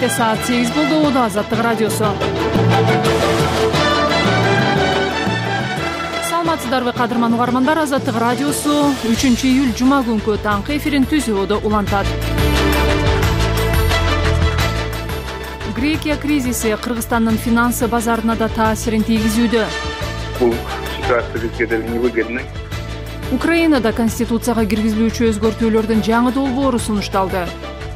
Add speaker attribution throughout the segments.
Speaker 1: Кечке саат 8 болду. Азаттык радиосу. Саламатсыздарбы кадырман угармандар, Азаттык радиосу 3-июль жума күнкү таңкы эфирин түзүүдө улантат. Грекия кризиси Кыргызстандын финансы базарына да таасирин тийгизүүдө.
Speaker 2: Бул ситуация бизге деле невыгодна.
Speaker 1: Украинада конституцияга киргизилүүчү өзгөртүүлөрдүн жаңы долбоору сунушталды.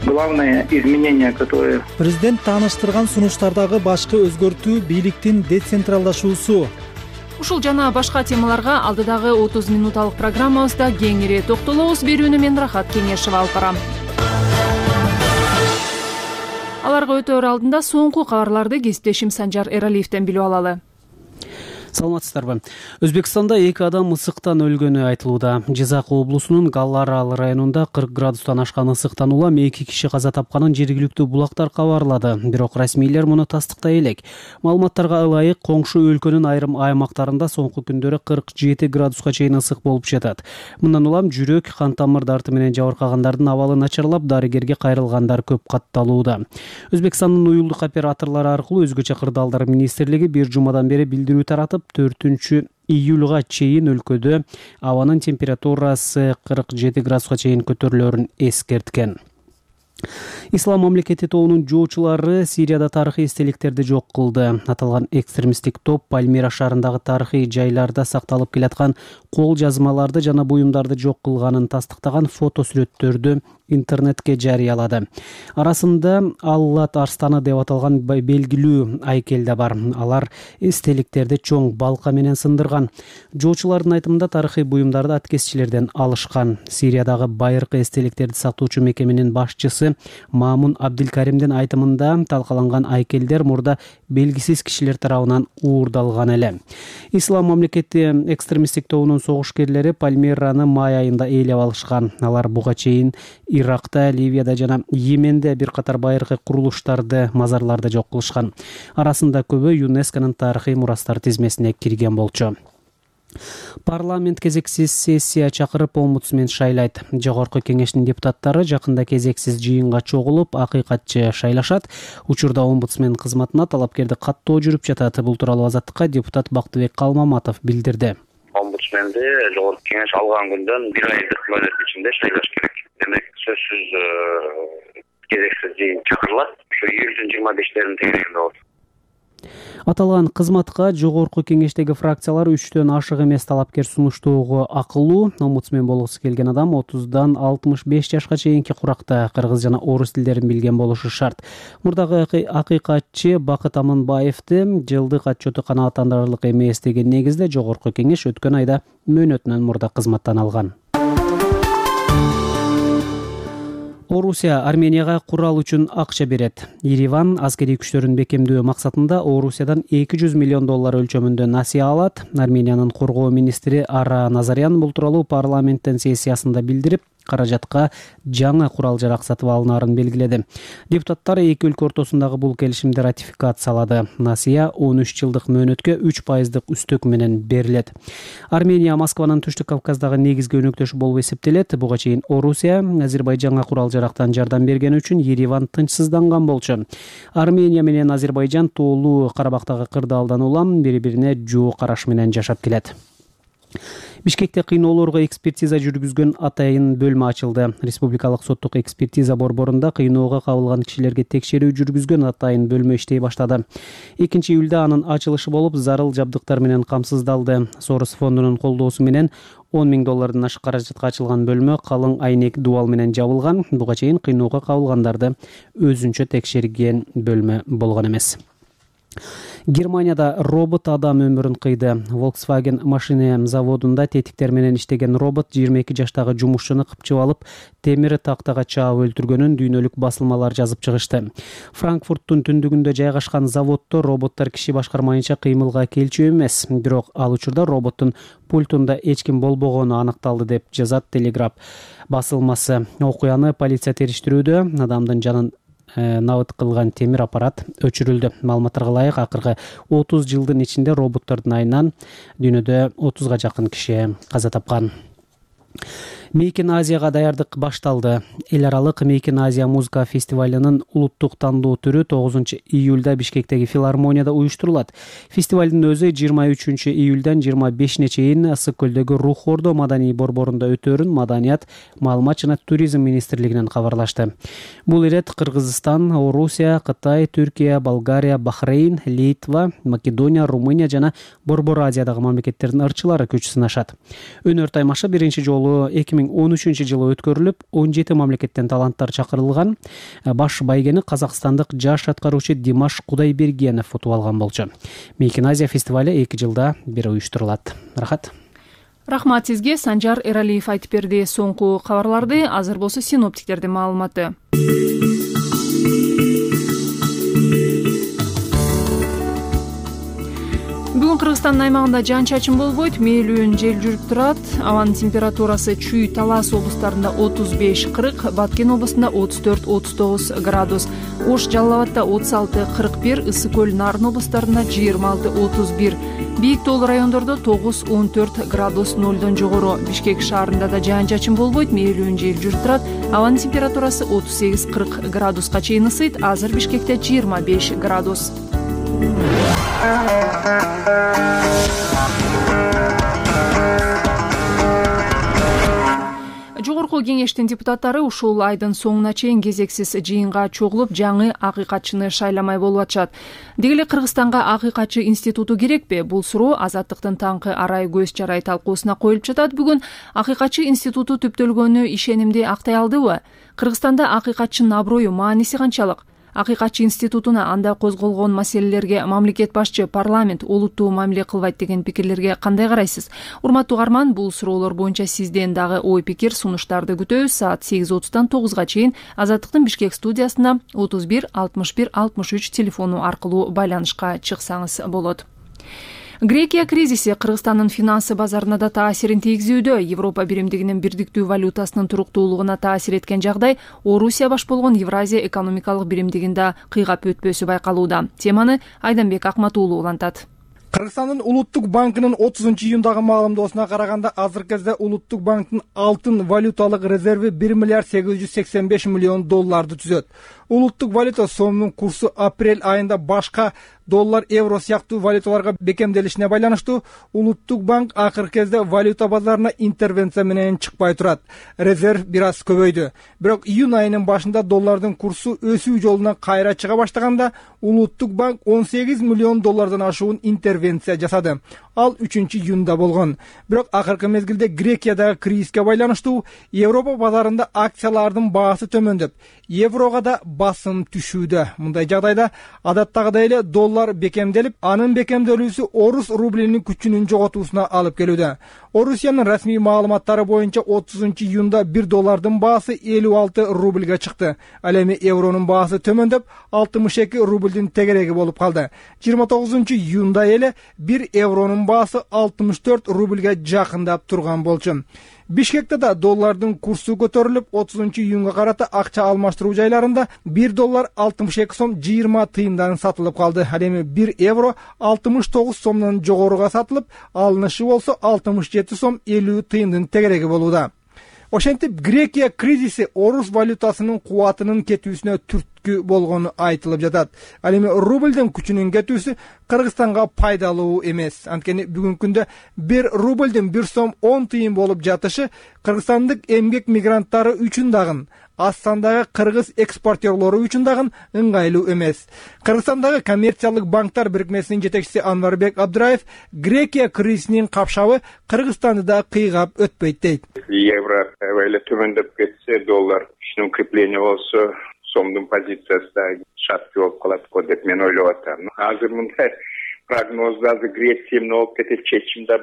Speaker 2: Главное изменение, которое
Speaker 3: Президент тааныштырган сунуштардагы башкы өзгөртүү бийликтин децентралдашуусу.
Speaker 1: Ушул жана башка темаларга алдыдагы 30 минуталык программабызда кеңири токтолобуз. Берүүнү мен Рахат Кеңешева алып барам. Аларга өтөөр алдында соңку кабарларды кесиптешим Санжар Эралиевден билип алалы.
Speaker 4: Саламатсыздарбы. Өзбекстанда 2 адам ысыктан өлгөнү айтылууда. Жизак облусунун Галларал районунда 40 градустан ашкан ысыктан улам 2 киши каза тапканын жергиликтүү булактар кабарлады. Бирок расмийлер муну тастыктай элек. Маалыматтарга ылайык, коңшу өлкөнүн айрым аймактарында соңку күндөрү 47 градуска чейин ысык болуп жатат. Мындан улам жүрөк, кан тамыр дарты менен жабыркагандардын абалы начарлап, дарыгерге кайрылгандар көп катталууда. Өзбекстандын уюлдук операторлору аркылуу өзгөчө кырдаалдар министрлиги бир жумадан бери билдирүү таратып, 4-июлга чейин өлкөдө абанын температурасы 47 градуска чейин көтөрүлөрүн эскерткен. Ислам мамлекети тобунун жоочулары Сирияда тарыхый эстеликтерди жок кылды. Аталган экстремисттик топ Пальмира шаарындагы тарыхый жайларда сакталып келаткан кол жазмаларды жана буюмдарды жок кылганын тастыктаган фото сүрөттөрдү интернетке жарыялады. Арасында Аллат арстаны деп аталган белгилүү айкел да бар. Алар эстеликтерди чоң балка менен сындырган. Жоочулардын айтымында тарыхый буюмдарды аткезчилерден алышкан. Сириядагы байыркы эстеликтерди сактоочу мекеменин башчысы Мамун Абдилкаримдин айтымында талкаланган айкелдер мурда белгисиз кишилер тарабынан уурдалган эле. Ислам мамлекети экстремисттик тобунун согушкерлери Пальмираны май айында ээлеп алышкан. Алар буга чейин Иракта, Ливияда жана Йеменде бир катар байыркы курулуштарды, мазарларды жок кылышкан. Арасында көбү ЮНЕСКОнун тарыхый мурастар тизмесине кирген болчу. Парламент кезексиз сессия чакырып омбудсмен шайлайт. Жогорку кеңештин депутаттары жакында кезексиз жыйынга чогулуп, акыйкатчы шайлашат. Учурда омбудсмен кызматына талапкерди каттоо жүрүп жатат. Бул тууралуу Азаттыкка депутат Бактыбек Калмаматов билдирди.
Speaker 5: Омбудсменди жогорку кеңеш алган күндөн 1 айдык мөөнөт ичинде шайлаш керек. Демек сөзсүз кезексиз жыйын чакырылат. Ушу июлдун 25-терин тегерегинде болот.
Speaker 4: Аталган кызматка жогорку кеңештеги фракциялар 3төн ашык эмес талапкер сунуштоого акылуу. Омбудсмен болгусу келген адам 30дан 65 жашка чейинки куракта кыргыз жана орус тилдерин билген болушу шарт. Мурдагы акыйкатчы Бакыт Аманбаевди жылдык отчету канааттандырарлык эмес деген негизде жогорку кеңеш өткөн айда мөөнөтүнөн мурда кызматтан алган. Орусия Арменияга курал үчүн акча берет. Ереван аскерий күчтөрүн бекемдөө максатында Орусиядан $200 миллион өлчөмүндө насыя алат. Армениянын коргоо министри Ара Назарян бул тууралуу парламенттин сессиясында билдирип, каражатка жаңы курал-жарак сатып алынаарын белгиледи. Депутаттар эки өлкө ортосундагы бул келишимди ратификациялады. Насыя 13 жылдык мөөнөткө 3% үстөк менен берилет. Армения Москванын Түштүк Кавказдагы негизги өнөктөшү болуп эсептелет. Буга чейин Орусия Азербайжанга курал-жарактан жардам берген үчүн Ереван тынчсыздан болчу. Армения менен Азербайжан тоолуу Карабактагы кырдаалдан улам бири-бирине жоо караш менен жашап келет. Бишкекте кыйноолорго экспертиза жүргүзгөн атайын бөлмө ачылды. Республикалык соттук экспертиза борборунда кыйноого кабылган кишилерге текшерүү жүргүзгөн атайын бөлмө иштей баштады. 2-июлда анын ачылышы болуп, зарыл жабдыктар менен камсыздалды. Сорос фондунун колдоосу менен $10 миң ашык каражатка ачылган бөлмө калың айнек дубал менен жабылган. Буга чейин кыйноого кабылгандарды өзүнчө текшерген бөлмө болгон эмес. Германияда робот адам өмүрүн кыйды. Volkswagen машина заводунда тетиктер менен иштеген робот 22 жаштагы жумушчуну кыпчып алып, темир тактага чаап өлтүргөнүн дүйнөлүк басылмалар жазып чыгышты. Франкфурттун түндүгүндө жайгашкан заводдо роботтор киши башкармайынча кыймылга келчү эмес. Бирок ал учурда роботтун пультунда эч ким болбогону аныкталды деп жазат Телеграф басылмасы. Окуяны полиция териштирүүдө. Адамдын жанын набыт кылган темир аппарат өчүрүлдү. Маалыматтарга ылайык, акыркы 30 жылдын ичинде роботтордун айынан дүйнөдө 30га жакын киши каза тапкан. Мейкин Азияга даярдык башталды. Эл аралык Мейкин Азия музыка фестивалынын улуттук тандоо түрү 9 июлда Бишкектеги филармонияда уюштурулат. Фестивалдын өзү 23 июлдан 25-не чейин Ысык көлдөгү Рух Ордо маданий борборунда өтөөрүн Маданият, маалымат жана туризм министрлигинен кабарлашты. Бул ирет Кыргызстан, Орусия, Кытай, Түркия, Болгария, Бахрейн, Литва, Македония, Румыния жана Борбор Азиядагы мамлекеттердин ырчылары күч сынашат. Өнөр таймашы биринчи жолу 2013 жылы өткөрүлүп, 17 мамлекеттен таланттар чакырылган. Баш байгени казакстандык жаш аткаруучу Димаш Кудайбергенов утуп алган болчу. Мейкин Азия фестивале 2 жылда бир уюштурулат. Рахат.
Speaker 1: Рахмат сизге. Санжар Эралиев айтып берди соңку кабарларды. Азыр болсо синоптиктердин маалыматы. Бүгүн Кыргызстандын аймагында жаан-чачын болбойт, мээлүүн жел жүрүп турат. Абанын температурасы Чүй, Талас облустарында 35-40, Баткен облусунда 34-39 градус, Ош, Жалал Абадда 36-41, Ысык көл, Нарын облустарында 26-31, Бийик тоолуу райондордо 9-14 градус нолдон жогору. Бишкек шаарында да жаан-чачын болбойт, мээлүүн жел жүрүп турат. Абанын температурасы 38-40 градуска чейин ысыйт. Азыр Бишкекте 25 градус. Жогорку кеңештин депутаттары ушул айдын соңуна чейин кезексиз жыйынга чогулуп, жаңы акыйкатчыны шайламай болуп атышат. Деги эле Кыргызстанга акыйкатчы институту керекпи? Бул суроо Азаттыктын таңкы арай көз чарай талкуусуна коюлуп жатат. Бүгүн акыйкатчы институту түптөлгөнү ишенимди актай алдыбы? Кыргызстанда акыйкатчынын аброю, мааниси канчалык? Акыйкатчы институтуна анда козголгон маселелерге мамлекет башчы, парламент олуттуу мамиле кылбайт деген пикирлерге кандай карайсыз? Урматтуу угарман, бул суроолор боюнча сизден дагы ой пикир, сунуштарды күтөбүз. Саат 8:30-тан 9-га чейин Азаттыктын Бишкек студиясында 31 61 63 телефону аркылуу байланышка чыксаңыз болот. Грекия кризиси Кыргызстандын финансы базарына да таасирин тийгизүүдө. Европа биримдигинин бирдиктүү валютасынын туруктуулугуна таасир эткен жагдай Орусия баш болгон Евразия экономикалык биримдигинде кыйгап өтпөсү байкалууда. Теманы Айданбек Акматуулу улантат.
Speaker 6: Кыргызстандын Улуттук банкынын 30-июндагы маалымдоосуна караганда, азыркы кезде Улуттук банктын алтын валюталык резерви 1 миллиард 885 миллион долларды түзөт. Улуттук валюта сомунун курсу апрель айында башка доллар, евро сыяктуу валюталарга бекемделишине байланыштуу Улуттук банк акыркы кезде валюта базарына интервенция менен чыкпай турат. Резерв бир аз көбөйдү. Бирок июнь айынын башында доллардын курсу өсүү жолуна кайра чыга баштаганда, Улуттук банк 18 миллион доллардан ашуун интервенция жасады. Ал 3-июнда болгон. Бирок акыркы мезгилде Грекиядагы кризиске байланыштуу Европа базарында акциялардын баасы төмөндөп, еврого да басым түшүүдө. Мындай жагдайда адаттагыдай эле доллар бекемделип, анын бекемделүүсү орус рублинин күчүнүн жоготуусуна алып келүүдө. Орусиянын расмий маалыматтары боюнча 30-июнда 1 доллардын баасы 56 рубльга чыкты. Ал эми евронун баасы төмөндөп, 62 рубльдин тегереги болуп калды. 29-июнда эле 1 евронун баасы 64 рубльга жакындап турган болчу. Бишкекте да доллардын курсу көтөрүлүп, 30-июнга карата акча алмаштыруу жайларында 1 доллар 62 сом 20 тыйындан сатылып калды. Ал эми 1 евро 69 сомдон жогоруга сатылып, алынышы болсо 67 сом 50 тыйындын тегереги болууда. Ошентип, Грекия кризиси орус валютасынын кубатынын кетүүсүнө түрткү болгону айтылып жатат. Ал эми рубльдин күчүнүн кетүүсү Кыргызстанга пайдалуу эмес. Анткени бүгүнкү күндө 1 рубльдин 1 сом 10 тыйын болуп жатышы кыргызстандык эмгек мигранттары үчүн дагы, аз сандагы кыргыз экспортерлору үчүн дагы ыңгайлуу эмес. Кыргызстандагы коммерциялык банктар бирикмесинин жетекчиси Анварбек Абдраев Грекия кризисинин капшабы Кыргызстанды да кыйгап өтпөйт дейт.
Speaker 2: Евро төмөндөп кетсе, доллар ишин укрепление болсо, сомдун позициясы да шарт болуп калат го деп мен ойлоп атам. Азыр мындай прогноздарды Греция эмне болуп кетет, чечим да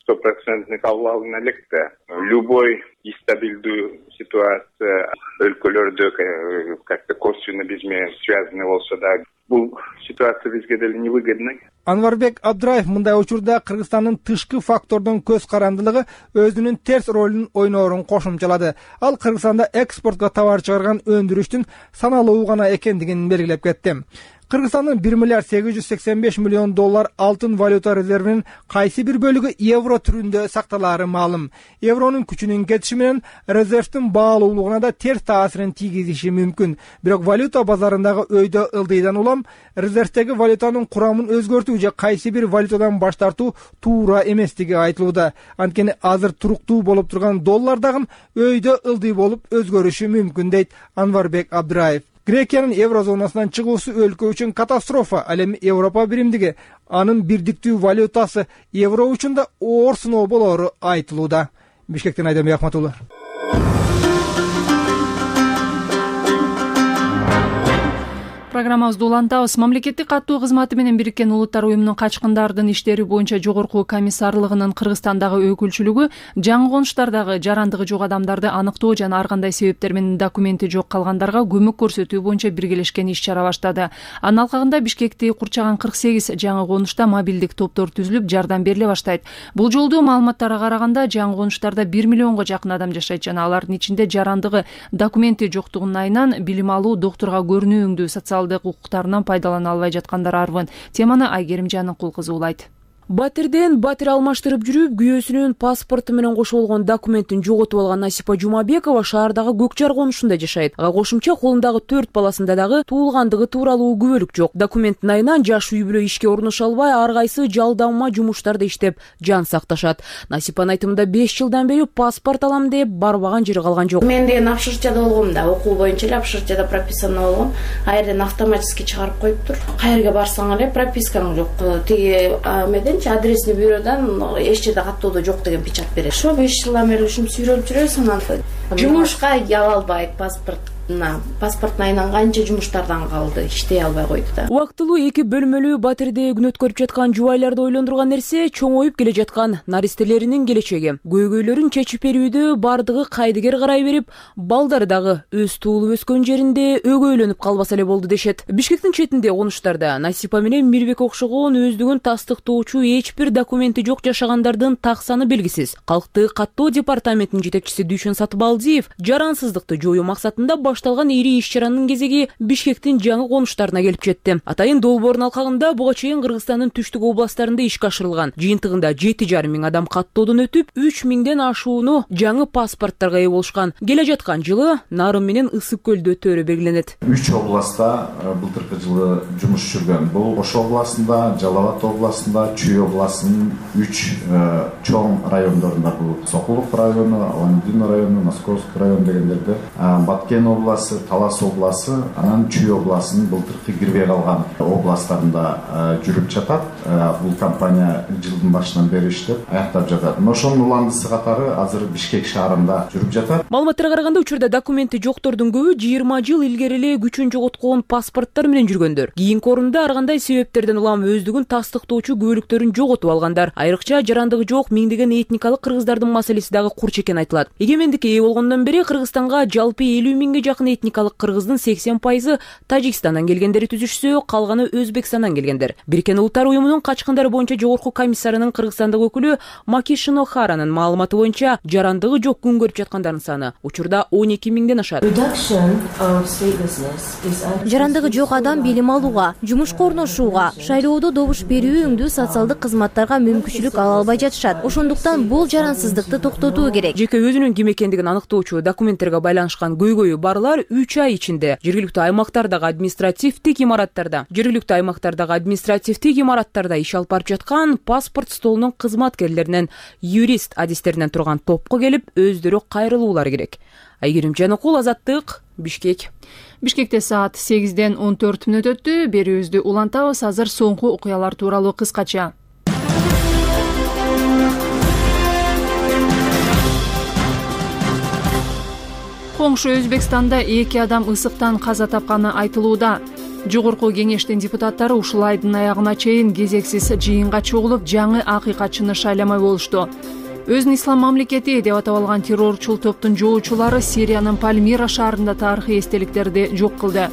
Speaker 2: 100% кабыл алына элек да. Любой нестабилдүү ситуация өлкөлөрдө как-то косвенно биз менен связаны болсо да, бул ситуация бизге деле невыгодна.
Speaker 6: Анварбек Абдраев мындай учурда Кыргызстандын тышкы фактордун көз карандылыгы өзүнүн терс ролун ойноорун кошумчалады. Ал Кыргызстанда экспортко товар чыгарган өндүрүштүн саналуу гана экендигин белгилеп кетти. Кыргызстандын 1 миллиард 885 миллион доллар алтын валюта резервинин кайсы бир бөлүгү евро түрүндө сакталаары маалым. Евронун күчүнүн кетиши менен резервдин баалуулугуна да терс таасирин тийгизиши мүмкүн. Бирок валюта базарындагы өйдө ылдыйдан улам резервдеги валютанын курамын өзгөртүү же кайсы бир валютадан баш тартуу туура эместиги айтылууда. Анткени азыр туруктуу болуп турган доллар дагы өйдө ылдый болуп өзгөрүшү мүмкүн дейт Анварбек Абдыраев. Грекиянын еврозонасынан чыгуусу өлкө үчүн катастрофа. Ал эми Европа биримдиги анын бирдиктүү валютасы евро үчүн да оор сыноо болоору айтылууда. Бишкектен Айдамбек Ахматулла.
Speaker 1: Программабызды улантабыз. Мамлекеттик каттоо кызматы менен Бириккен Улуттар уюмунун качкындардын иштери боюнча жогорку комиссарлыгынын Кыргызстандагы өкүлчүлүгү жаңы конуштардагы жарандыгы жок адамдарды аныктоо жана ар кандай себептер менен документи жок калгандарга көмөк көрсөтүү боюнча биргелешкен иш-чара баштады. Анын алкагында Бишкекти курчаган 48 жаңы конушта мобилдик топтор түзүлүп, жардам бериле баштайт. Бул жолду маалыматтарга караганда жаңы конуштарда 1 миллионго жакын адам жашайт жана алардын ичинде жарандыгы документи жоктугунун айынан билим алуу, доктурга көрүнүүңдүү социалдык укуктарынан пайдалана албай жаткандар арбын. Теманы Айгерим Жаныкул кызы улайт.
Speaker 7: Батирден батир алмаштырып жүрүп, күйөөсүнүн паспорту менен кошо болгон документин жоготуп алган Насипа Жумабекова шаардагы Көкжар конушунда жашайт. Ага кошумча колундагы 4 баласында дагы туулгандыгы тууралуу күбөлүк жок. Документтин айынан жаш үй бүлө ишке орношо албай, ар кайсы жалдама жумуштарда иштеп жан сакташат. Насипанын айтымында 5 жылдан бери паспорт алам деп барбаган жери калган жок.
Speaker 8: Мен деген Апшырчада болгом да, окуу боюнча эле Апшырчада прописано болгом. Айрдан автоматически чыгарып коюптур. Кайерге барсаң эле пропискаң жок. Тиги меден адресный бюродан эч жерде каттоодо жок деген печать берет. Ошо 5 жылдан бери ушинтип сүйлөп жүрөсүң, анан жумушка ала албайт паспорттун айынан канча жумуштардан калды, иштей албай койду да.
Speaker 7: Убактылуу 2 бөлмөлүү батирде күнөт көрүп жаткан жубайларды ойлондурган нерсе чоңоюп келе жаткан наристелеринин келечеги. Көйгөйлөрүн чечип берүүдө бардыгы кайдыгер карай берип, балдары дагы өз туулуп өскөн жеринде өгөйлөнүп калбаса эле болду дешет. Бишкектин четинде конуштарда Насипа менен Мирбек окшогон өздүгүн тастыктоочу эч бир документи жок жашагандардын так саны белгисиз. Калктык каттоо департаментинин жетекчиси Дүйшөн Сатыбалдиев жарансыздыкты жоюу максатында башталган ири иш-чаранын кезеги Бишкектин жаңы конуштарына келип жетти. Атайын долбоордун алкагында буга чейин Кыргызстандын түштүк областтарында ишке ашырылган. Жыйынтыгында 7,5 миң адам каттоодон өтүп, 3 миңден ашууну жаңы паспорттарга ээ болушкан. Келе жаткан жылы Нарын менен Ысык көлдө өтөөрү белгиленет.
Speaker 9: 3 областта былтыркы жылы жумуш жүргөн. Бул Ош областында, Жалал Абад областында, Чүй областынын 3 чоң райондорунда, бул Сокулук району, Аландин району, Московский район дегендерде, Баткен обласы, Талас обласы, анан Чүй обласынын былтыркы кирбей калган областтарында жүрүп жатат. Бул компания жылдын башынан бери иштеп аяктап жатат. Ошонун уландысы катары азыр Бишкек шаарында жүрүп жатат.
Speaker 7: Маалыматтарга караганда учурда документи жоктордун көбү 20 жыл илгери эле күчүн жоготкон паспорттор менен жүргөндөр. Кийинки орунда ар кандай себептерден улам өздүгүн тастыктоочу күбөлүктөрүн жоготуп алгандар. Айрыкча жарандыгы жок миңдеген этникалык кыргыздардын маселеси дагы курч экени айтылат. Эгемендикке ээ болгондон бери Кыргызстанга жалпы 50 миңге жакын этникалык кыргыздын 80% Тажикстандан келгендери түзүшсө, калганы Өзбекстандан келгендер. Бириккен Улуттар уюмунун качкындар боюнча жогорку комиссарынын Кыргызстандагы өкүлү Макишино Харанын маалыматы боюнча жарандыгы жок күн көрүп жаткандардын саны учурда 12 миңден ашат.
Speaker 10: Жарандыгы жок адам билим алууга, жумушка орношууга, шайлоодо добуш берүүңдүү социалдык кызматтарга мүмкүнчүлүк ала албай жатышат. Ошондуктан бул жарансыздыкты токтотуу керек.
Speaker 7: Жеке өзүнүн ким экендигин аныктоочу документтерге байланышкан көйгөйү барлар 3 ай ичинде жергиликтүү аймактардагы административдик имараттарда иш алып барып жаткан паспорт столунун кызматкерлеринен, юрист адистеринен турган топко келип, өздөрү кайрылуулары керек. Айгерим Жаныкул, Азаттык, Бишкек.
Speaker 1: Бишкекте саат 8ден 14 мүнөт өттү. Берүүбүздү улантабыз. Азыр соңку окуялар тууралуу кыскача. Коңшу Өзбекстанда 2 адам ысыктан каза тапканы айтылууда. Жогорку кеңештин депутаттары ушул айдын аягына чейин кезексиз жыйынга чогулуп, жаңы акыйкатчыны шайламай болушту. Өзүн ислам мамлекети деп атап алган террорчул топтун жоочулары Сириянын Пальмира шаарында тарыхый эстеликтерди жок кылды.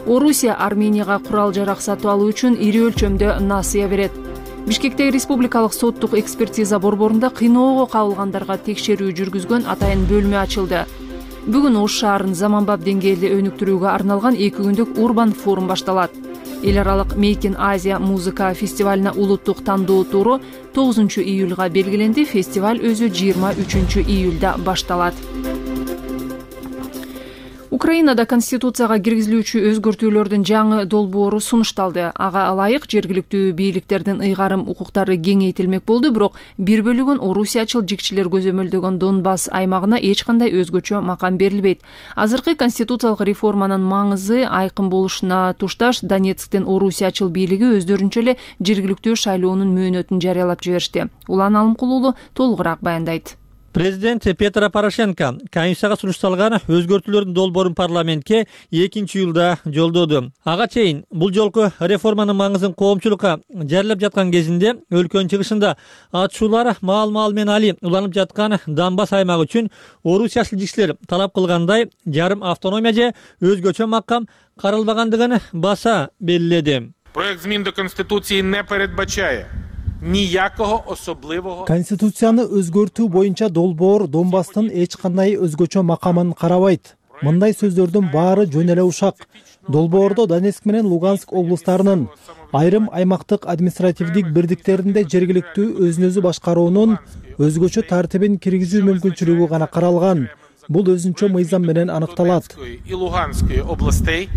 Speaker 1: Орусия Арменияга курал-жарак сатып алуу үчүн ири өлчөмдө насыя берет. Бишкектеги республикалык соттук экспертиза борборунда кыйноого кабылгандарга текшерүү жүргүзгөн атайын бөлмө ачылды. Бүгүн Ош шаарын заманбап деңгээлде өнүктүрүүгө арналган 2 күндүк урбан форум башталат. Эл аралык Make in Asia музыка фестивалына улуттук тандоо туру 9-июлга белгиленди. Фестиваль өзү 23-июлда башталат. Украинада конституцияга киргизилүүчү өзгөртүүлөрдүн жаңы долбоору сунушталды. Ага ылайык жергиликтүү бийликтердин ыйгарым укуктары кеңейтилмек болду, бирок бир бөлүгүн орусиячыл жикчилер көзөмөлдөгөн Донбасс аймагына эч кандай өзгөчө макам берилбейт. Азыркы конституциялык реформанын маңызы айкын болушуна тушташ Донецктин орусиячыл бийлиги өздөрүнчө эле жергиликтүү шайлоонун мөөнөтүн жарыялап жиберишти. Улан Алымкул уулу толугураак баяндайт.
Speaker 11: Президент Петро Порошенко Конституцияга сунушталган өзгөртүүлөрдүн долбоорун парламентке 2-июлда жолдоду. Ага чейин бул жолку реформанын маңызын коомчулукка жарыялап жаткан кезинде өлкөнүн чыгышында атышуулар маал-маал менен али уланып жаткан Донбасс аймагы үчүн орусиячыл жикчилер талап кылгандай жарым автономия же өзгөчө макам каралбагандыгын баса белгиледи.
Speaker 12: Проект змін до Конституції не передбачає ніякого особливого.
Speaker 3: Конституцияны өзгөртүү боюнча долбоор Донбасстын эч кандай өзгөчө макамын карабайт. Мындай сөздөрдүн баары жөн эле ушак. Долбоордо Донецк менен Луганск облустарынын айрым аймактык административдик бирдиктеринде жергиликтүү өзүн өзү башкаруунун өзгөчө тартибин киргизүү мүмкүнчүлүгү гана каралган. Бул өзүнчө мыйзам менен анықталат.
Speaker 12: І Луганської областей,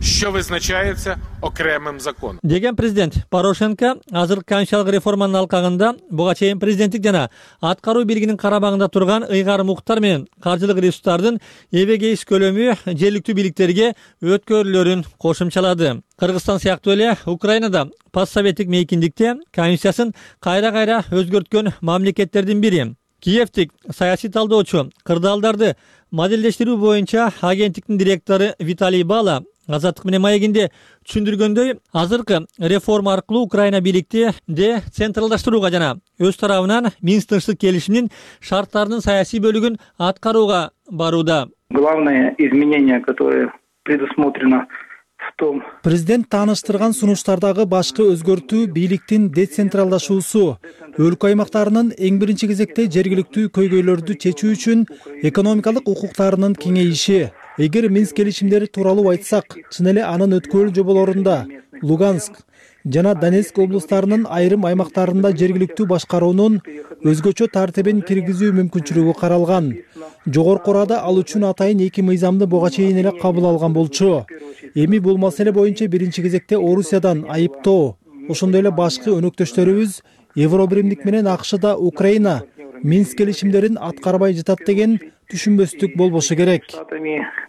Speaker 12: що визначається окремим законом.
Speaker 11: Деген президент Порошенко азыр конституциялык реформанын алкагында буга чейин президенттик жана аткаруу бийлигинин карабагында турган ыйгарым укуктар менен каржылык ресурстардын эбегейс көлөмү жергиликтүү бийликтерге өткөрүлөрүн кошумчалады. Кыргызстан сыяктуу эле Украинада постсоветтик мейкиндикте конституциясын кайра-кайра өзгөрткөн мамлекеттердин бири. Киевтик саясий талдоочу кырдаалдарды моделдештирүү боюнча агенттиктин директору Виталий Бала Азаттык менен маегинде түшүндүргөндөй, азыркы реформа аркылуу Украина бийликти децентралдаштырууга жана өз тарабынан Минск тынчтык келишиминин шарттарынын саясий бөлүгүн аткарууга барууда.
Speaker 13: Главное изменение, которое предусмотрено в том.
Speaker 3: Президент тааныштырган сунуштардагы башкы өзгөртүү бийликтин децентралдашуусу, өлкө аймактарынын эң биринчи кезекте жергиликтүү көйгөйлөрдү чечүү үчүн экономикалык укуктарынын кеңейиши. Эгер Минск келишимдери тууралуу айтсак, чын эле анын өткөрүл жоболорунда Луганск жана Донецк облустарынын айрым аймактарында жергиликтүү башкаруунун өзгөчө тартибин киргизүү мүмкүнчүлүгү каралган. Жогорку Рада ал үчүн атайын эки мыйзамды буга чейин эле кабыл алган болчу. Эми бул маселе боюнча биринчи кезекте Орусиядан айыптоо, ошондой эле башкы өнөктөштөрүбүз Евробиримдик менен АКШда Украина Минск келишимдерин аткарбай жатат деген түшүнбөстүк болбошу керек.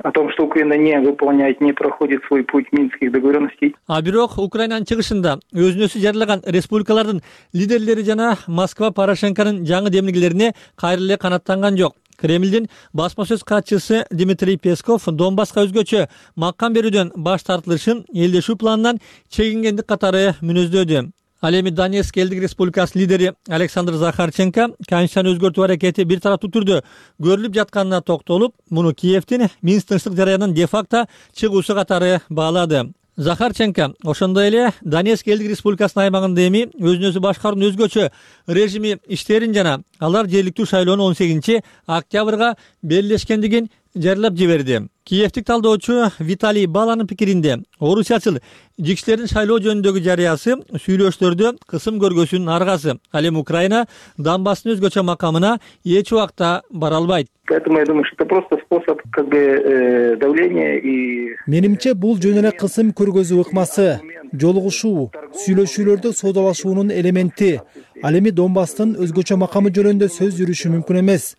Speaker 13: О том, что Украина не выполняет, не проходит свой путь минских договоренностей.
Speaker 11: А бирок Украинанын чыгышында өзүн өзү жарыялаган республикалардын лидерлери жана Москва Порошенконун жаңы демилгелерине кайра эле канаттанган жок. Кремлдин басма сөз катчысы Дмитрий Песков Донбасска өзгөчө макам берүүдөн баш тартылышын элдешүү планынан чегингендик катары мүнөздөдү. Ал эми Донецк элдик республикасынын лидери Александр Захарченко конституцияны өзгөртүү аракети бир тараптуу түрдө көрүлүп жатканына токтолуп, муну Киевдин Минск тынчтык жарыянын де-факто чыгуусу катары баалады. Захарченко ошондой эле Донецк элдик республикасынын аймагында эми өзүн өзү башкаруунун өзгөчө режими иштерин жана алар жергиликтүү шайлоонун 18-октябрга белгилешкендигин жарыялап жиберди. Киевтик талдоочу Виталий Баланын пикиринде, орусиячыл жикчилердин шайлоо жөнүндөгү жарыясы сүйлөшүүлөрдө кысым көргөсүнүн аргасы. Ал эми Украина Донбасстын өзгөчө макамына эч убакта бара албайт.
Speaker 13: Поэтому я думаю, что это просто способ давления и.
Speaker 3: Менимче бул жөн эле кысым көргөзүү ыкмасы, жолугушуу, сүйлөшүүлөрдө соодалашуунун элементи. Ал эми Донбасстын өзгөчө макамы жөнүндө сөз жүрүшү мүмкүн эмес.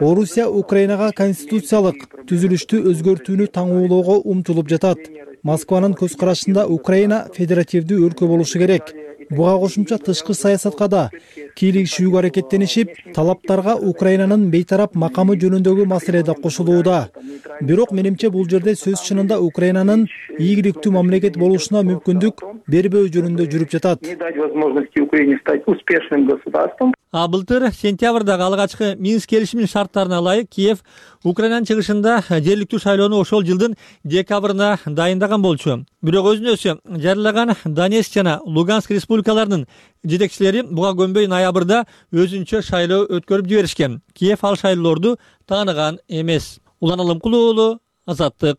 Speaker 3: Орусия Украинага конституциялык түзүлүштү өзгөртүүнү таңуулоого умтулуп жатат. Москванын көз карашында Украина федеративдүү өлкө болушу керек. Буга кошумча тышкы саясатка да кийлигишүүгө аракеттенишип, талаптарга Украинанын бейтарап макамы жөнүндөгү маселе да кошулууда. Бирок менимче бул жерде сөз чынында Украинанын ийгиликтүү мамлекет болушуна мүмкүндүк бербөө жөнүндө жүрүп жатат.
Speaker 13: Не дать возможности Украине стать успешным государством.
Speaker 11: А былтыр сентябрдагы алгачкы Минск келишиминин шарттарына ылайык Киев Украинанын чыгышында жергиликтүү шайлоону ошол жылдын декабрына дайындаган болчу. Бирок өзүн өзү жарыялаган Донецк жана Луганск республикаларынын жетекчилери буга көнбөй ноябрда өзүнчө шайлоо өткөрүп жиберишкен. Киев ал шайлоолорду тааныган эмес. Улан Алымкул уулу, Азаттык.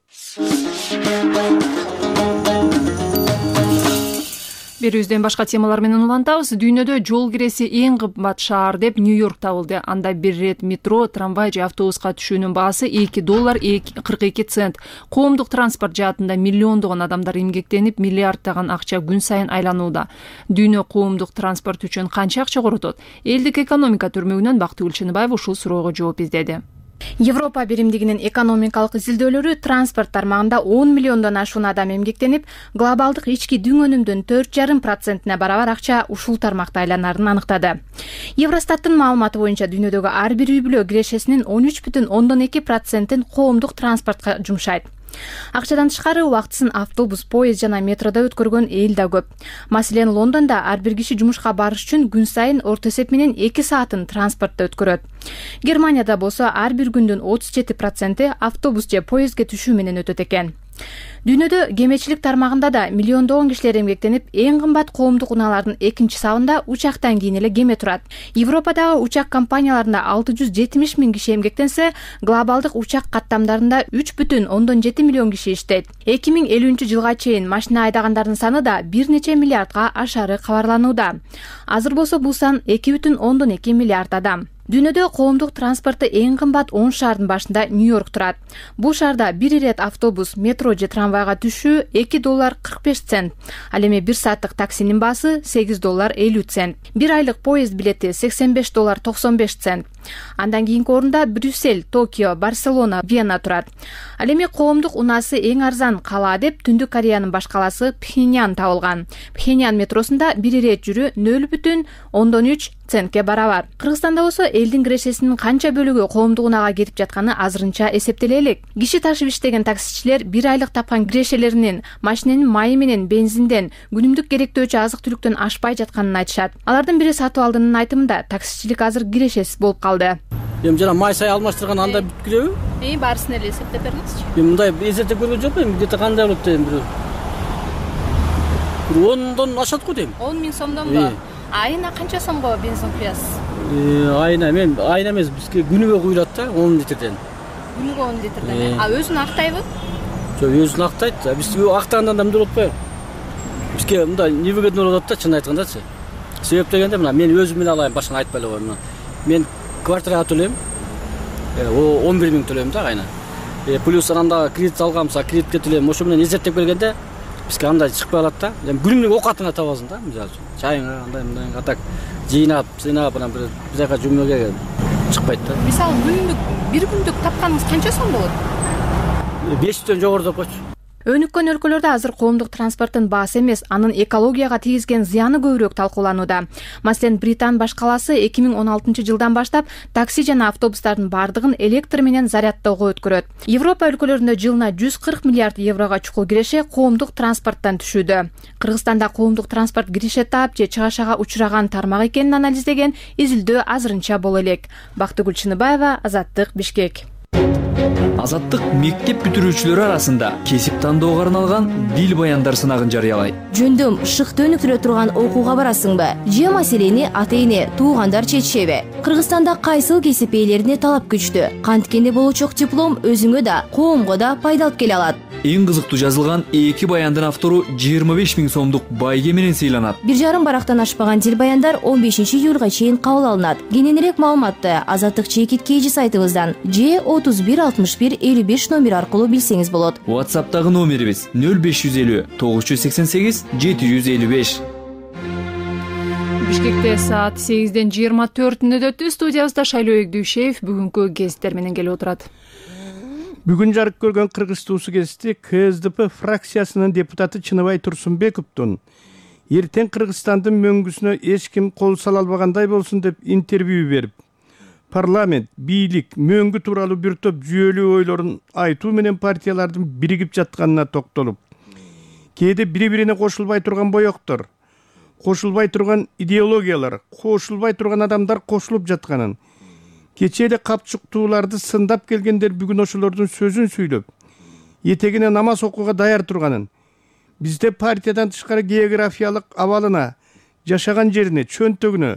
Speaker 1: Берүүбүздөн башка темалар менен улантабыз. Дүйнөдө жол киреси эң кымбат шаар деп Нью-Йорк табылды. Анда бир ирет метро, трамвай же автобуска түшүүнүн баасы $2.42. Коомдук транспорт жаатында миллиондогон адамдар эмгектенип, миллиарддаган акча күн сайын айланууда. Дүйнө коомдук транспорт үчүн канча акча коротот? Элдик экономика түрмөгүнөн Бактыгүл Чыныбаева ушул суроого жооп издеди.
Speaker 14: Европа биримдигинин экономикалык изилдөөлөрү транспорт тармагында 10 миллиондон ашуун адам эмгектенип, глобалдык ички дүң өнүмдүн 4,5% барабар акча ушул тармакта айланарын аныктады. Евростаттын маалыматы боюнча дүйнөдөгү ар бир үй бүлө кирешесинин 13,2%-ин коомдук транспортко жумшайт. Акчадан тышкары убактысын автобус, поезд жана метродо өткөргөн эл да көп. Маселен, Лондондо ар бир киши жумушка барыш үчүн күн сайын орто эсеп менен 2 саатын транспортто өткөрөт. Германияда болсо ар бир күндүн 37% автобус же поездге түшүү менен өтөт экен. Дүйнөдө кемечилик тармагында да миллиондогон кишилер эмгектенип, эң кымбат коомдук унаалардын экинчи сабында учактан кийин эле кеме турат. Европадагы учак компанияларында 670 000 киши эмгектенсе, глобалдык учак каттамдарында 3,7 миллион киши иштейт. 2050-жылга чейин машина айдагандардын саны да бир нече миллиардга ашары кабарланууда. Азыр болсо бул сан 2,2 миллиард адам. Дүйнөдө коомдук транспорту эң кымбат 10 шаардын башында Нью-Йорк турат. Бул шаарда бир ирет автобус, метро же трамвайга түшүү $2.45. Ал эми 1 сааттык таксинин баасы $8.50. Бир айлык поезд билети $85.95. Андан кийинки орунда Брюссель, Токио, Барселона, Вена турат. Ал эми коомдук унаасы эң арзан кала деп Түндүк Кореянын баш каласы Пхеньян табылган. Пхеньян метросунда бир ирет жүрүү 0,13 центке барабар. Кыргызстанда болсо элдин кирешесинин канча бөлүгү коомдук унага кетип жатканы азырынча эсептеле элек. Киши ташып иштеген таксичилер бир айлык тапкан кирешелеринин машиненин майы менен бензинден, күнүмдүк керектөөчү азык-түлүктөн ашпай жатканын айтышат. Алардын бири сатып алдынын айтымында таксичилик азыр кирешесиз болуп калды.
Speaker 15: Эми жана май сай алмаштырган анда бүт киреби?
Speaker 14: Баарысын эле эсептеп бериңизчи.
Speaker 15: Эми мындай эсептеп көргөн жокмун, где-то кандай болот дейм бир 10дон ашат го дейм.
Speaker 14: 10 000 сомдонбу? Айына канча сомго бензин куясыз?
Speaker 15: Айына эмес, бизге күнүгө куюлат да 10 литрден.
Speaker 14: Күнүгө 10 литрден. Өзүн актайбы?
Speaker 15: Жок, өзүн актайт. Биз актагандан да эмне болот атпайбы? Бизге мындай невыгодно болот да, чын айткандачы. Себеп дегенде мына мен өзүм менен алайын, башканы айтпай эле коеюн. Мен квартирага төлөйм. 11 000 төлөйм да айына. Плюс ананда кредит алганмса, кредитке төлөйм. Ошо менен эсептеп келгенде бизге андай чыкпай калат да. Күнүмдүк оокатыңа табасың да, мисалы үчүн. Чайыңа андай атак жыйнап, анан бир жака жумууга чыкпайт да.
Speaker 14: Мисалы бир күндүк тапканыңыз канча сом болот?
Speaker 15: 500дөн жогору деп койчу.
Speaker 14: Өнүккөн өлкөлөрдө азыр коомдук транспорттун баасы эмес, анын экологияга тийгизген зыяны көбүрөөк талкууланууда. Маселен, Британ баш каласы 2016-жылдан баштап такси жана автобустардын бардыгын электр менен зарядтоого өткөрөт. Европа өлкөлөрүндө жылына 140 миллиард еврого чукул киреше коомдук транспорттан түшүүдө. Кыргызстанда коомдук транспорт киреше таап же чыгашага учураган тармак экенин анализдеген изилдөө азырынча боло элек. Бактыгүл Чыныбаева, Азаттык, Бишкек.
Speaker 16: Азаттык мектеп бүтүрүүчүлөрү арасында кесип тандоого арналган дил баяндар сынагын жарыялайт.
Speaker 10: Жөндөм шыкты өнүктүрө турган окууга барасыңбы? Же маселени ата-эне, туугандар чечишеби? Кыргызстанда кайсыл кесип ээлерине талап күчтүү? Канткенде болочок диплом өзүңө да, коомго да пайда алып келе алат.
Speaker 16: Эң кызыктуу жазылган 2 баяндын автору 25 000 сомдук байге менен сыйланат.
Speaker 10: 1,5 барактан ашпаган дил баяндар 15-июлга чейин кабыл алынат. Кененирээк маалыматты Азаттык чекит KG сайтыбыздан же 31 61 55 номер аркылуу билсеңиз болот.
Speaker 16: WhatsApp'тагы номерибиз 0550 988 755.
Speaker 1: Бишкекте саат 8ден 24 өтү. Студиябызда Шайлоо Эгдүүшев бүгүнкү гезиттер менен келип отурат.
Speaker 17: Бүгүн жарык көргөн Кыргыз туусу гезити КСДП фракциясынын депутаты Чыныбай Турсунбековдун эртең Кыргызстандын мөңгүсүнө эч ким кол сала албагандай болсун деп интервью берип, парламент, бийлик, мөңгү тууралуу бир топ жүйөлүү ойлорун айтуу менен партиялардын биригип жатканына токтолуп, кээде бири-бирине кошулбай турган боектор, кошулбай турган идеологиялар, кошулбай турган адамдар кошулуп жатканын, кечээ эле капчыктууларды сындап келгендер бүгүн ошолордун сөзүн сүйлөп, этегине намаз окууга даяр турганын, бизде партиядан тышкары географиялык абалына, жашаган жерине, чөнтөгүнө,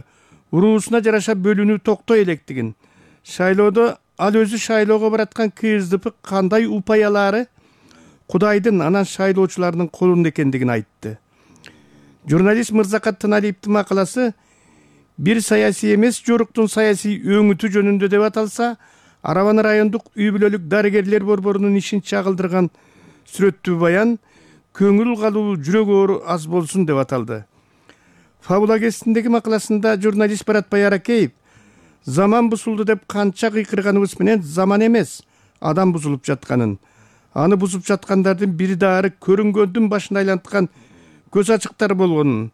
Speaker 17: уруусуна жараша бөлүнүү токтой электигин, шайлоодо ал өзү шайлоого бараткан КСДП кандай упаялары Кудайдын, анан шайлоочулардын колунда экендигин айтты. Журналист Мырзакат Тыналиевдин макаласы бир саясий эмес жоруктун саясий өңүтү жөнүндө деп аталса, Арабаны райондук үй бүлөлүк дарыгерлер борборунун ишин чагылдырган сүрөттүү баян көңүл калуу, жүрөк оору аз болсун деп аталды. Фабула гезитиндеги макаласында журналист Баратбай Аракеев заман бузулду деп канча кыйкырганыбыз менен заман эмес, адам бузулуп жатканын, аны бузуп жаткандардын бири дары көрүнгөндүн башын айланткан көз ачыктар болгонун,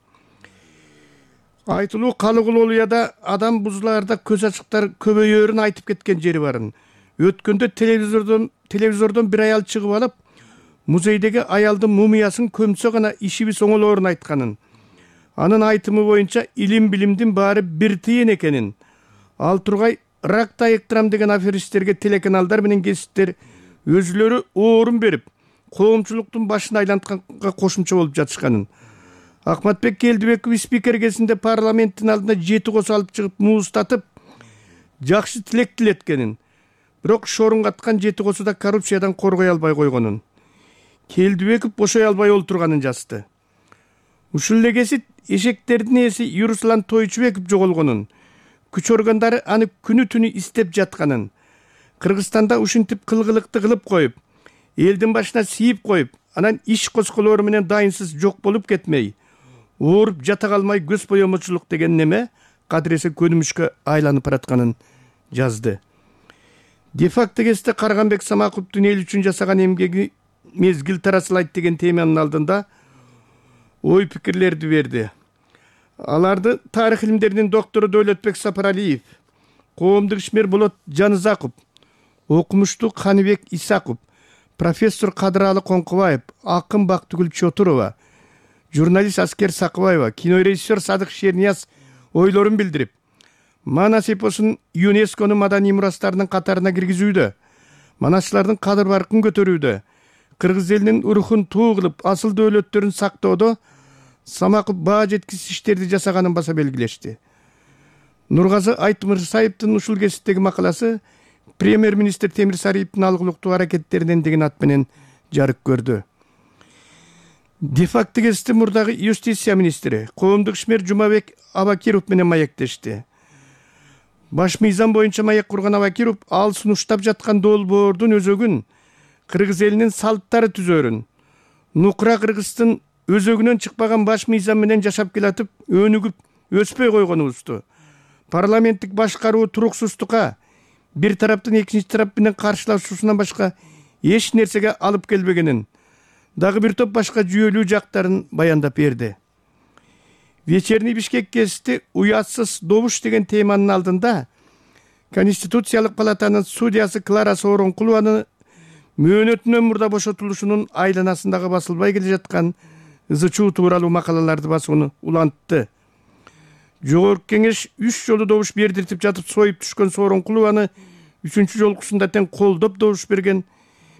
Speaker 17: айтылуу Калыгуловда адам бузулаарда көз ачыктар көбөйөрүн айтып кеткен жери барын. Өткөндө телевизордон бир аял чыгып алып, музейдеги аялдын мумиясын көмсө гана ишибиз оңолоорун айтканын, анын айтымы боюнча илим билимдин баары бир тыйын экенин, ал тургай ракты айыктырам деген аферисттерге телеканалдар менен гезиттер өзүлөрү оорун берип, коомчулуктун башын айлантканга кошумча болуп жатышканын, Акматбек Келдибеков спикер кезинде парламенттин алдына 7 кос алып чыгып муустатып, жакшы тилек тилеткенин, бирок шорунгаткан 7 косу да коррупциядан коргой албай койгонун, Келдибеков бошой албай олтурганын жазды. Ушул эле гезит эшектердин ээси Юруслан Тойчубеков жоголгонун, күч органдары аны күнү түнү издеп жатканын, Кыргызстанда ушинтип кылгылыкты кылып коюп, элдин башына сийип коюп, анан иш косколору менен дайынсыз жок болуп кетмей, ооруп жата калмай көз боемочулук деген неме кадыресе көнүмүшкө айланып баратканын жазды. Де-факто кезде Карганбек Самаковдун эл үчүн жасаган эмгеги мезгил тарасылайт деген теманын алдында ой пикирлерди берди. Аларды тарых илимдеринин доктору Дөөлөтбек Сапаралиев, коомдук ишмер Болот Жанызаков, окумуштуу Каныбек Исаков, профессор Кадыралы Коңкубаев, акын Бактыгүл Чотурова, журналист Аскер Сакыбаева, кинорежиссер Садык Шернияз ойлорун билдирип, Манас эпосун ЮНЕСКОнун маданий мурастарынын катарына киргизүүдө, манасчылардын кадыр-баркын көтөрүүдө, кыргыз элинин рухун туу кылып, асыл дөөлөттөрүн сактоодо Самаков баа жеткисиз иштерди жасаганын баса белгилешти. Нургазы Айтмырсаевдин ушул гезиттеги макаласы премьер-министр Темир Сариевдин алгылыктуу аракеттеринен деген ат менен жарык көрдү. Де-факто гезити мурдагы юстиция министри коомдук ишмер Жумабек Абакиров менен маектешти. Баш мыйзам боюнча маек курган Абакиров ал сунуштап жаткан долбоордун өзөгүн, кыргыз элинин салттары түзөрүн, нукура кыргыздын өзөгүнөн чыкпаган баш мыйзам менен жашап келатып, өнүгүп өспөй койгонубузду, парламенттик башкаруу туруксуздукка, бир тараптын экинчи тарап менен каршылашуусунан башка эч нерсеге алып келбегенин, дагы бир топ башка жүйөлүү жактарын баяндап берди. Вечерний Бишкек гезити уятсыз добуш деген теманын алдында Конституциялык палатанын судьясы Клара Сооронкулованы мөөнөтүнөн мурда бошотулушунун айланасындагы басылбай келе жаткан ызы-чуу тууралуу макалаларды басууну улантты. Жогорку кеңеш 3 жолу добуш бердиртип жатып союп түшкөн Сооронкулованы 3-чү жолкусунда тең колдоп добуш берген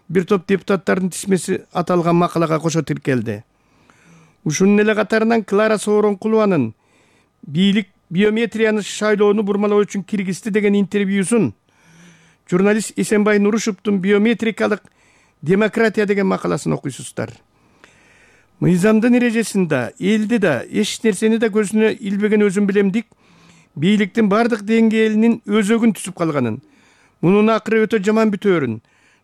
Speaker 17: бир топ депутаттардын тизмеси аталган макалага кошо тиркелди. Ушунун эле катарынан Клара Сооронкулованын бийлик биометрияны шайлоону бурмалоо үчүн киргизди деген интервьюсун, журналист Эсенбай Нурушевдун биометрикалык демократия деген макаласын окуйсуздар. Мыйзамдын эрежесинде элди да, эч нерсени да көзүнө илбеген өзүм билемдик бийликтин бардык деңгээлинин өзөгүн түзүп калганын, мунун акыры өтө жаман бүтөөрүн,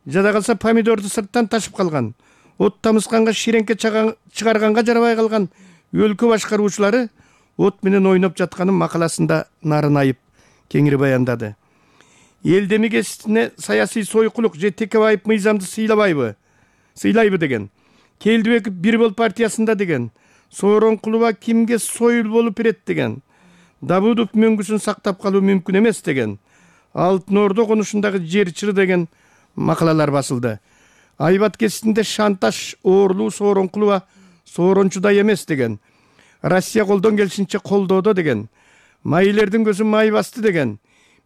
Speaker 17: жада калса помидорду сырттан ташып калган, от тамызганга ширеңке чыгарганга жарабай калган өлкө башкаруучулары от менен ойноп жатканын макаласында нарын айып кеңири баяндады. Элдеми гезитине саясий сойкулук же текебайып мыйзамды сыйлайбы деген, Келдибеков бир бол партиясында деген, Сооронкулова кимге союл болуп берет деген, Давудов мөңгүсүн сактап калуу мүмкүн эмес деген, Алтын Ордо конушундагы жер чыры деген макалалар басылды. Айбат гезитинде шантаж оорлуу Сооронкулова соорончудай эмес деген, Россия колдон келишинче колдоодо деген, майылердин көзүн май басты деген,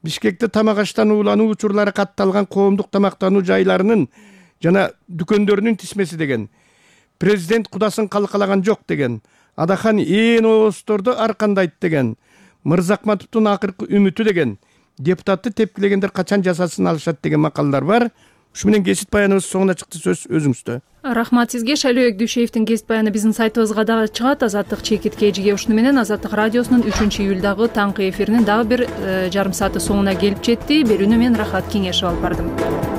Speaker 17: Бишкекте тамак аштан уулануу учурлары катталган коомдук тамактануу жайларынын жана дүкөндөрүнүн тизмеси деген, президент кудасын калкалаган жок деген, Адахан ээн оозторду аркандайт деген, Мырзакматовдун акыркы үмүтү деген, депутатты тепкилегендер качан жазасын алышат деген макалалар бар. ушу менен кесип баяныбыз соңуна чыкты. Сөз өзүңүздө.
Speaker 1: Рахмат сизге. Шайлообек Дүйшеевдин кесип баяны биздин сайтыбызга дагы чыгат. Азаттык чекитке эжиге. Ушуну менен Азаттык радиосунун 3-июлдагы таңкы эфиринин дагы бир жарым сааты соңуна келип жетти. Берүүнү мен Рахат Кеңешев алып бардым.